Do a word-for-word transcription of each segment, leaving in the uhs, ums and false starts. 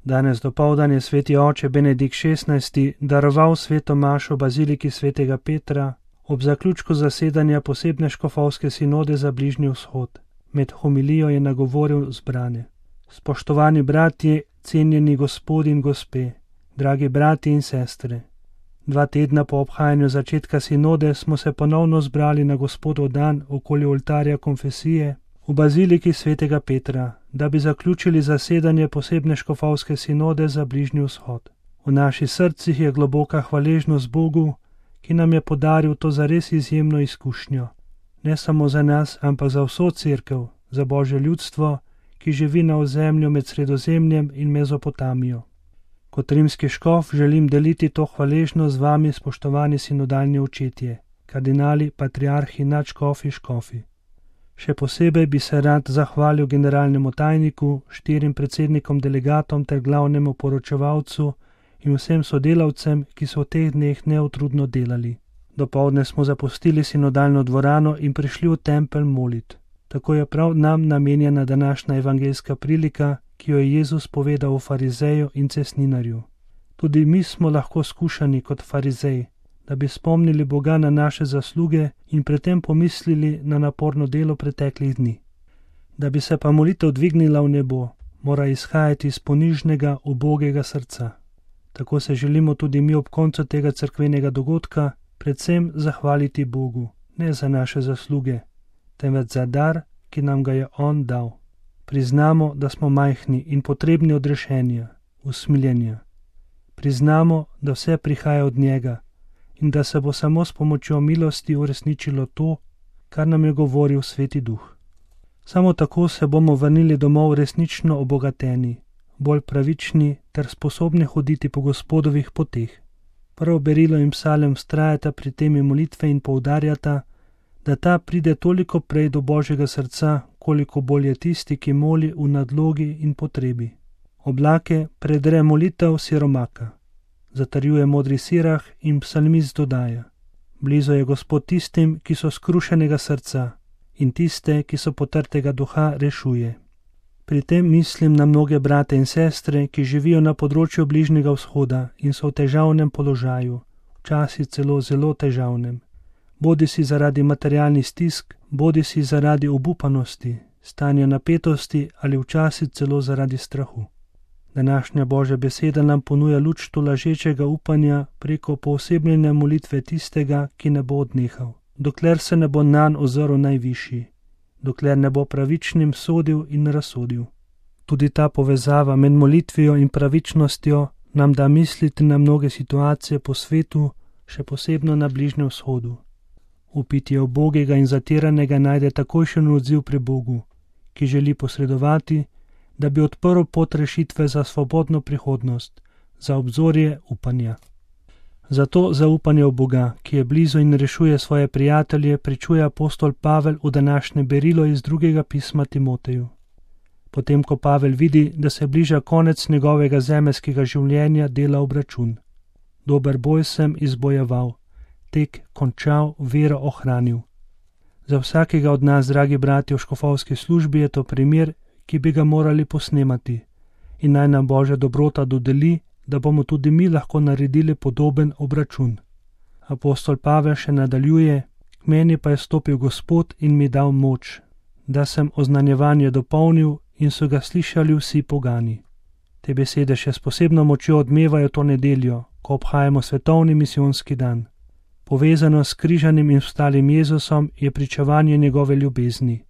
Danes dopoldan je sveti oče Benedikt šestnajsti daroval sveto mašo v baziliki svetega Petra ob zaključku zasedanja posebne škofovske sinode za Bližnji vzhod. Med homilijo je nagovoril zbrane. Spoštovani bratje, cenjeni gospodi in gospe, dragi bratje in sestre. Dva tedna po obhajanju začetka sinode smo se ponovno zbrali na Gospodov dan okoli oltarja konfesije v baziliki svetega Petra, da bi zaključili zasedanje posebne škofovske sinode za Bližnji vzhod. V naših srcih je globoka hvaležnost Bogu, ki nam je podaril to zares izjemno izkušnjo. Ne samo za nas, ampak za vso cerkev, za Božje ljudstvo, ki živi na ozemlju med Sredozemljem in Mezopotamijo. Kot rimski škof želim deliti to hvaležnost z vami, spoštovani sinodalni očetje, kardinali, patriarhi, nadškofi, škofi. Še posebej bi se rad zahvalil generalnemu tajniku, štirim predsednikom delegatom ter glavnemu poročevalcu in vsem sodelavcem, ki so v teh dneh neutrudno delali. Dopoldne smo zapustili sinodalno dvorano in prišli v tempelj molit. Tako je prav nam namenjena današnja evangeljska prilika, ki jo je Jezus povedal o farizeju in cestninarju. Tudi mi smo lahko skušani kot farizej, da bi spomnili Boga na naše zasluge in predtem pomislili na naporno delo preteklih dni. Da bi se pa molitev dvignila v nebo, mora izhajati iz ponižnega, ubogega srca. Tako se želimo tudi mi ob koncu tega cerkvenega dogodka predvsem zahvaliti Bogu, ne za naše zasluge, temveč za dar, ki nam ga je On dal. Priznamo, da smo majhni in potrebni odrešenja, usmiljenja. Priznamo, da vse prihaja od njega in da se bo samo s pomočjo milosti uresničilo to, kar nam je govoril Sveti Duh. Samo tako se bomo vrnili domov resnično obogateni, bolj pravični ter sposobni hoditi po Gospodovih poteh. Prav berilo in psalem vztrajata pri temi molitve in poudarjata, da ta pride toliko prej do Božjega srca, koliko bolj je tisti, ki moli v nadlogi in potrebi. Oblake predre molitev siromaka, zatrjuje modri sirah in psalmist dodaja: blizu je Gospod tistim, ki so skrušenega srca, in tiste, ki so potrtega duha, rešuje. Pri tem mislim na mnoge brate in sestre, ki živijo na področju Bližnjega vzhoda in so v težavnem položaju, včasih celo zelo težavnem. Bodi si zaradi materialnih stisk, bodi si zaradi obupanosti, stanja napetosti ali včasih celo zaradi strahu. Današnja Božja beseda nam ponuja luč tolažečega upanja preko poosebljene molitve tistega, ki ne bo odnehal, dokler se ne bo nanj ozrl najvišji, dokler ne bo pravičnim sodil in razsodil. Tudi ta povezava med molitvijo in pravičnostjo nam da misliti na mnoge situacije po svetu, še posebno na Bližnjem vzhodu. Upitje ubogega in zatiranega najde takojšen odziv pri Bogu, ki želi posredovati, da bi odprl pot rešitve za svobodno prihodnost, za obzorje upanja. Zato zaupanje v Boga, ki je blizu in rešuje svoje prijatelje, pričuje apostol Pavel v današnje berilo iz drugega pisma Timoteju. Potem, ko Pavel vidi, da se bliža konec njegovega zemeljskega življenja, dela obračun. Dober boj sem izbojeval, tek končal, vero ohranil. Za vsakega od nas, dragi bratje v škofovski službi, je to primer, ki bi ga morali posnemati, in naj nam Božja dobrota dodeli, da bomo tudi mi lahko naredili podoben obračun. Apostol Pavel še nadaljuje: k meni pa je stopil Gospod in mi dal moč, da sem oznanjevanje dopolnil in so ga slišali vsi pogani. Te besede še s posebno močjo odmevajo to nedeljo, ko obhajamo svetovni misijonski dan. Povezano s križanim in vstalim Jezusom je pričevanje njegove ljubezni.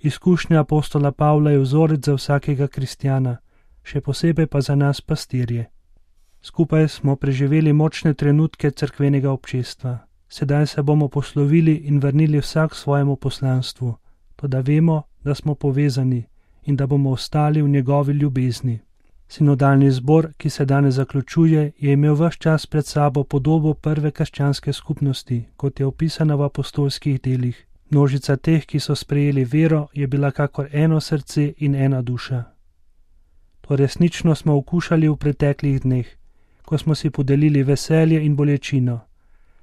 Izkušnja apostola Pavla je vzorec za vsakega kristjana, še posebej pa za nas pastirje. Skupaj smo preživeli močne trenutke cerkvenega občestva. Sedaj se bomo poslovili in vrnili vsak svojemu poslanstvu, toda vemo, da smo povezani in da bomo ostali v njegovi ljubezni. Sinodalni zbor, ki se danes zaključuje, je imel ves čas pred sabo podobo prve krščanske skupnosti, kot je opisana v apostolskih delih. Množica teh, ki so sprejeli vero, je bila kakor eno srce in ena duša. To resnično smo okušali v preteklih dneh, ko smo si podelili veselje in bolečino,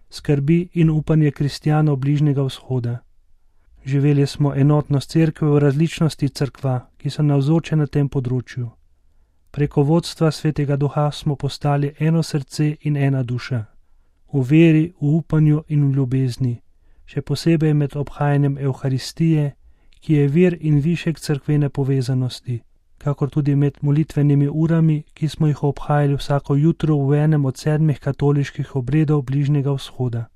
skrbi in upanje kristjanov Bližnjega vzhoda. Živeli smo enotnost cerkve v različnosti cerkva, ki so navzoče na tem področju. Preko vodstva Svetega Duha smo postali eno srce in ena duša. V veri, v upanju in v ljubezni, še posebej med obhajanjem Evharistije, ki je vir in višek cerkvene povezanosti, kakor tudi med molitvenimi urami, ki smo jih obhajali vsako jutro v enem od sedmih katoliških obredov Bližnjega vzhoda.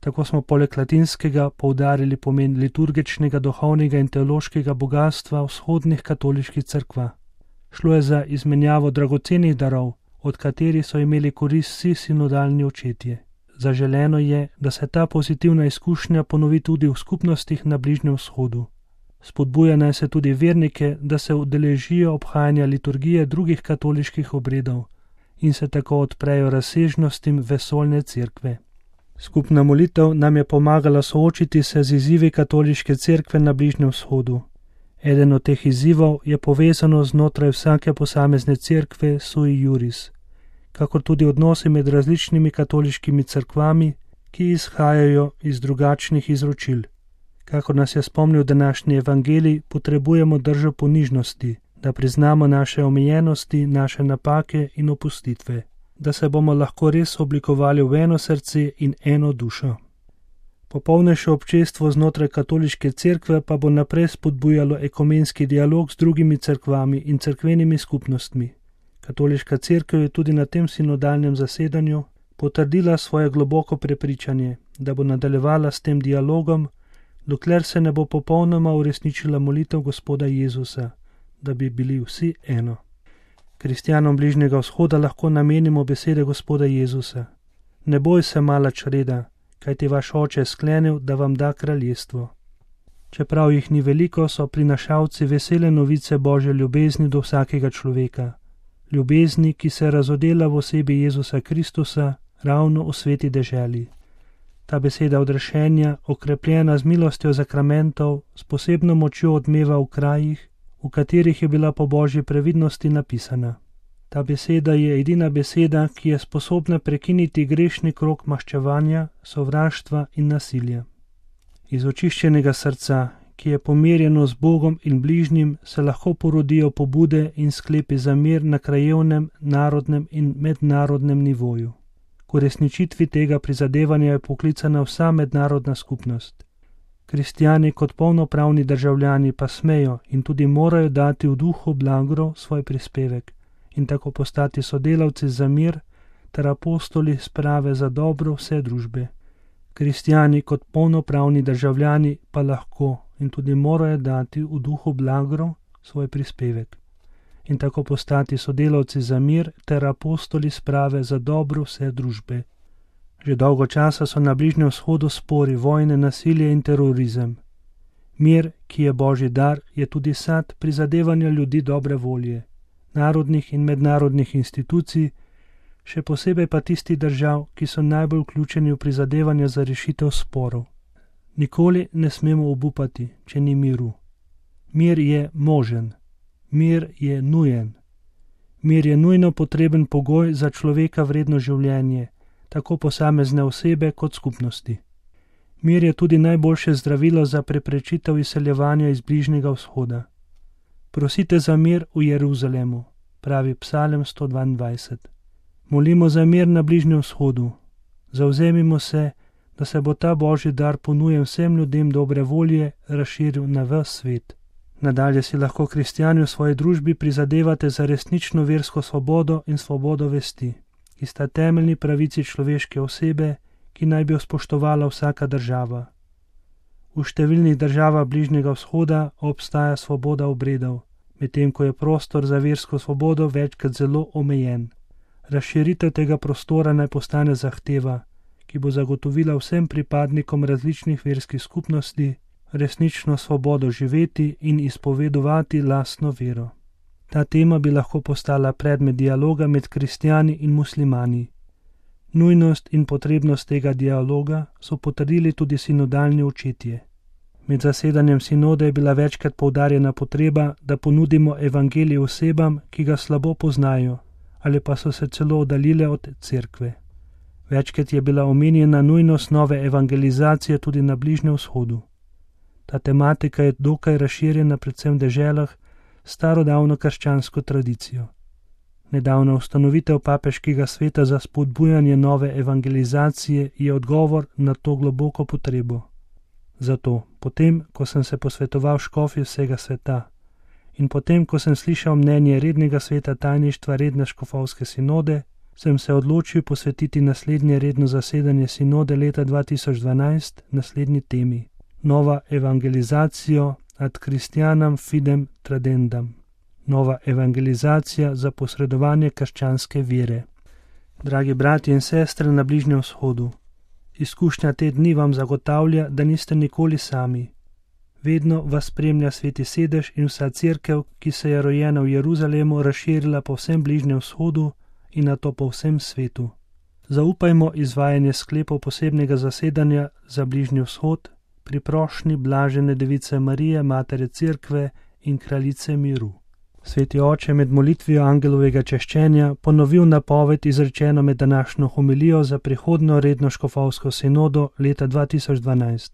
Tako smo poleg latinskega poudarili pomen liturgičnega, duhovnega in teološkega bogatstva vzhodnih katoliških cerkva. Šlo je za izmenjavo dragocenih darov, od katerih so imeli korist vsi sinodalni očetje. Zaželeno je, da se ta pozitivna izkušnja ponovi tudi v skupnostih na Bližnjem vzhodu. Spodbuja naj se tudi vernike, da se udeležijo obhajanja liturgije drugih katoliških obredov in se tako odprejo razsežnostim vesoljne cerkve. Skupna molitev nam je pomagala soočiti se z izzivi katoliške cerkve na Bližnjem vzhodu. Eden od teh izzivov je povezano znotraj vsake posamezne cerkve sui juris, kakor tudi odnosi med različnimi katoliškimi cerkvami, ki izhajajo iz drugačnih izročil. Kakor nas je spomnil današnji evangelij, potrebujemo držo ponižnosti, da priznamo naše omejenosti, naše napake in opustitve, da se bomo lahko res oblikovali v eno srce in eno dušo. Popolnejše občestvo znotraj katoliške cerkve pa bo naprej spodbujalo ekumenski dialog z drugimi cerkvami in cerkvenimi skupnostmi. Katoliška cerkev je tudi na tem sinodalnem zasedanju potrdila svoje globoko prepričanje, da bo nadaljevala s tem dialogom, dokler se ne bo popolnoma uresničila molitev Gospoda Jezusa, da bi bili vsi eno. Kristjanom Bližnjega vzhoda lahko namenimo besede Gospoda Jezusa. Ne boj se, mala čreda, kajti vaš oče je sklenil, da vam da kraljestvo. Čeprav jih ni veliko, so prinašalci vesele novice Božje ljubezni do vsakega človeka. Ljubezni, ki se razodela v osebi Jezusa Kristusa, ravno v sveti deželi. Ta beseda odrešenja, okrepljena z milostjo zakramentov, s posebno močjo odmeva v krajih, v katerih je bila po Božji previdnosti napisana. Ta beseda je edina beseda, ki je sposobna prekiniti grešni krog maščevanja, sovraštva in nasilja. Iz očiščenega srca, ki je pomirjeno z Bogom in bližnjim, se lahko porodijo pobude in sklepi za mir na krajevnem, narodnem in mednarodnem nivoju. K uresničitvi tega prizadevanja je poklicana vsa mednarodna skupnost. Kristjani kot polnopravni državljani pa smejo in tudi morajo dati v duhu blagro svoj prispevek in tako postati sodelavci za mir ter apostoli sprave za dobro vse družbe. Kristjani kot polnopravni državljani pa lahko in tudi morajo dati v duhu blagro svoj prispevek in tako postati sodelavci za mir ter apostoli sprave za dobro vse družbe. Že dolgo časa so na Bližnjem vzhodu spori, vojne, nasilje in terorizem. Mir, ki je Božji dar, je tudi sad prizadevanja ljudi dobre volje, narodnih in mednarodnih institucij, še posebej pa tistih držav, ki so najbolj vključeni v prizadevanja za rešitev sporov. Nikoli ne smemo obupati, če ni miru. Mir je možen. Mir je nujen. Mir je nujno potreben pogoj za človeka vredno življenje, tako posamezne osebe kot skupnosti. Mir je tudi najboljše zdravilo za preprečitev izseljevanja iz Bližnjega vzhoda. Prosite za mir v Jeruzalemu, pravi Psalem sto dvaindvajset. Molimo za mir na Bližnjem vzhodu. Zavzemimo se, da se bo ta Božji dar ponujen vsem ljudem dobre volje razširil na ves svet. Nadalje si lahko kristjani v svoji družbi prizadevate za resnično versko svobodo in svobodo vesti, ki sta temeljni pravici človeške osebe, ki naj bi jo spoštovala vsaka država. V številnih državah Bližnjega vzhoda obstaja svoboda obredov, medtem ko je prostor za versko svobodo večkrat zelo omejen. Razširitev tega prostora naj postane zahteva, ki bo zagotovila vsem pripadnikom različnih verskih skupnosti resnično svobodo živeti in izpovedovati lastno vero. Ta tema bi lahko postala predmet dialoga med kristjani in muslimani. Nujnost in potrebnost tega dialoga so potrdili tudi sinodalni očetje. Med zasedanjem sinode je bila večkrat poudarjena potreba, da ponudimo evangelij osebam, ki ga slabo poznajo, ali pa so se celo oddaljile od cerkve. Večkrat je bila omenjena nujnost nove evangelizacije tudi na Bližnjem vzhodu. Ta tematika je dokaj razširjena predvsem v deželah s starodavno krščansko tradicijo. Nedavna ustanovitev papeškega sveta za spodbujanje nove evangelizacije je odgovor na to globoko potrebo. Zato, potem, ko sem se posvetoval škofji vsega sveta in potem, ko sem slišal mnenje rednega sveta tajništva redne škofovske sinode, sem se odločil posvetiti naslednje redno zasedanje sinode leta dva tisoč dvanajst naslednji temi: Nova evangelizacijo ad Christianam fidem tradendam. Nova evangelizacija za posredovanje krščanske vere. Dragi bratje in sestre na Bližnjem vzhodu, izkušnja te dni vam zagotavlja, da niste nikoli sami. Vedno vas spremlja Sveti Sedež in vsa cerkev, ki se je rojena v Jeruzalemu, razširila po vsem Bližnjem vzhodu in nato po vsem svetu. Zaupajmo izvajanje sklepov posebnega zasedanja za Bližnji vzhod pri prošnji blažene Device Marije, Matere Cerkve in Kraljice miru. Sveti oče med molitvijo angelovega češčenja ponovil napoved izrečeno med današnjo homilijo za prihodnjo redno škofovsko sinodo leta dva tisoč dvanajst.